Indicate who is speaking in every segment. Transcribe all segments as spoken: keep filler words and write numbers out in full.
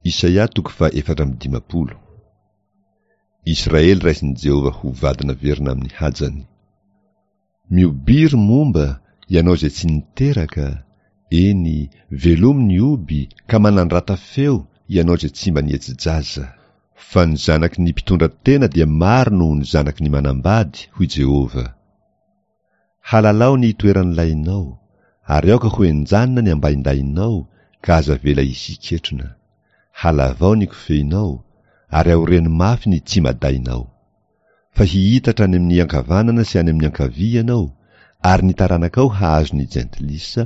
Speaker 1: Isaia toko fahaefatra amby dimampolo. Israely raisin'i Jehovah ho vady naverina amin'ny hajany. Mihobiry momba ianao izay tsy niteraka, eny, velomy ny hoby ka manandrata feo ianao izay tsy mba nihetsi-jaza. Fa ny zanaky ny mpitondra tena dia maro noho ny zanaky ny manambady, hoy Jehovah. Halalao ny toeran'ny lahinao, ary aoka ho henjanina ny ambaindahinao, ka aza avela hisy hiketrona. Halavao ny kofehinao, ary aoreno mafy ny tsimadainao. Fa hihitatra any amin'ny ankavanana sy any amin'ny ankavia ianao, ary ny taranakao hahazo ny jentilisa,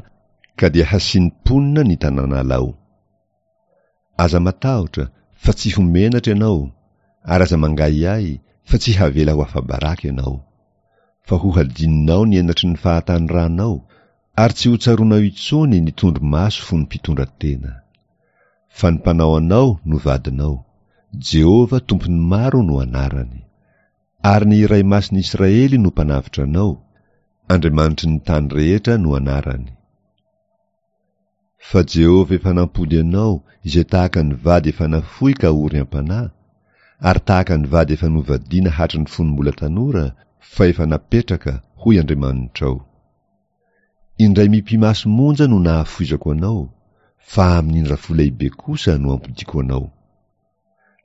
Speaker 1: ka dia hasian'ny mponina ny tanànalao. Aza matahotra, fa tsy ho menatra ianao, ary aza mangahiahy, fa tsy havela ho afa-baraka ianao. Fa ho hadinonao ny henatry ny fahatanoranao, ary tsy ho tsaroanao intsony ny tondro-maso fony mpitondra tena. Fa ny mpanao anao no vadinao, Jehovah Tompon'ny maro no anarany. Ary ny Iray Masin'ny Israely no mpanavotra anao, Andriamanitry ny tany rehetra no anarany. Fa Jehovah efa nampody anao izay tahaka ny vady efa nafoy ka ory am-panahy, ary tahaka ny vady efa novadiana hatry ny fony mbola tanora, fa efa napetraka, hoy Andriamanitrao. Indray mipi-maso monja no nahafoizako anao, fa amin'ny indrafo lehibe kosa no ampodiako anao.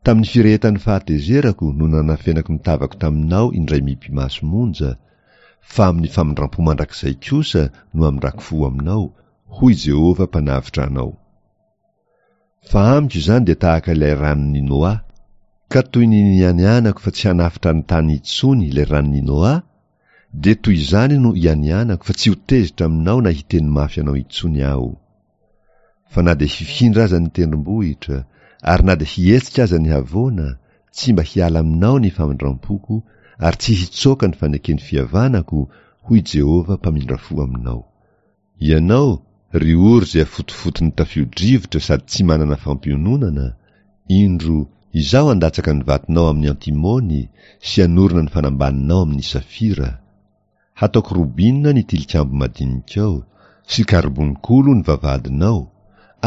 Speaker 1: Tamin'ny firehetan'ny fahatezerako no nanafenako ny tavako taminao indray mipi-maso monja, fa amin'ny famindram-po mandrakizay kosa no amindrako fo aminao, hoy Jehovah Mpanavotra anao. Fa amiko izany dia tahaka ilay ranon'i Noa, ka toy ny nianianako fa tsy hanafotra ny tany intsony ilay ranon'i Noa, dia toy izany no ianianako fa tsy ho tezitra aminao na hiteny mafy anao intsony aho. Fa na dia hifindra aza ny tendrombohitra, ary na dia hihetsika aza ny havoana, tsy mba hiala aminao ny famindram-poko, ary tsy hitsoaka ny faneken'ny fihavanako, hoy Jehovah mpamindra fo aminao. Ianao, ry ory izay afotofoton'ny tafio-drivotra sady tsy manana fampiononana, indro, Izaho handatsaka ny vatonao amin'ny antimony sy hanorina ny fanambaninao amin'ny safira. Hataoko robina ny tilikambo madinikao, sy karbonkolo ny vavahadinao,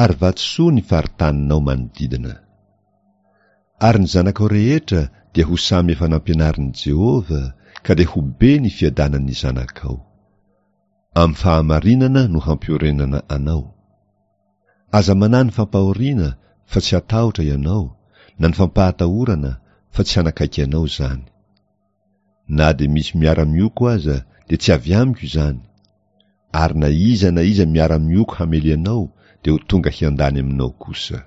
Speaker 1: ary vatosoa ny faritaninao manodidina. Ary ny zanakao rehetra dia ho samy efa nampianarin'i Jehovah, ka dia ho be ny fiadanan'ny zanakao. Amin'ny fahamarinana no hampiorenana anao. Aza manahy ny fampahoriana fa tsy hatahotra ianao, na ny fampahatahorana fa tsy hanakaiky anao izany. Na dia misy miara-mioko aza dia tsy avy amiko izany, ary na iza na iza miara-mioko hamely anao dia ho tonga hiandany aminao kosa.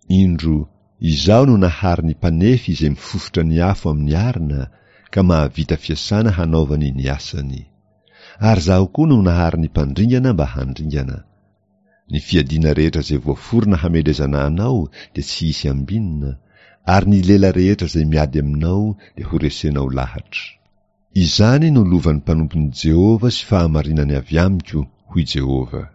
Speaker 1: Indro, Izaho no nahary ny mpanefy izay mifofotra ny afo amin'ny arina ka mahavita fiasana hanaovany ny asany. Ary Izaho koa no nahary ny mpandringana mba handringana. Ny fiadiana rehetra izay voaforona hamelezana anao dia tsy hisy ambinina, ary ny lela rehetra izay miady aminao dia horesenao lahatra. Izany no lovan'ny mpanompon'i Jehovah sy fahamarinany avy amiko, hoy Jehovah.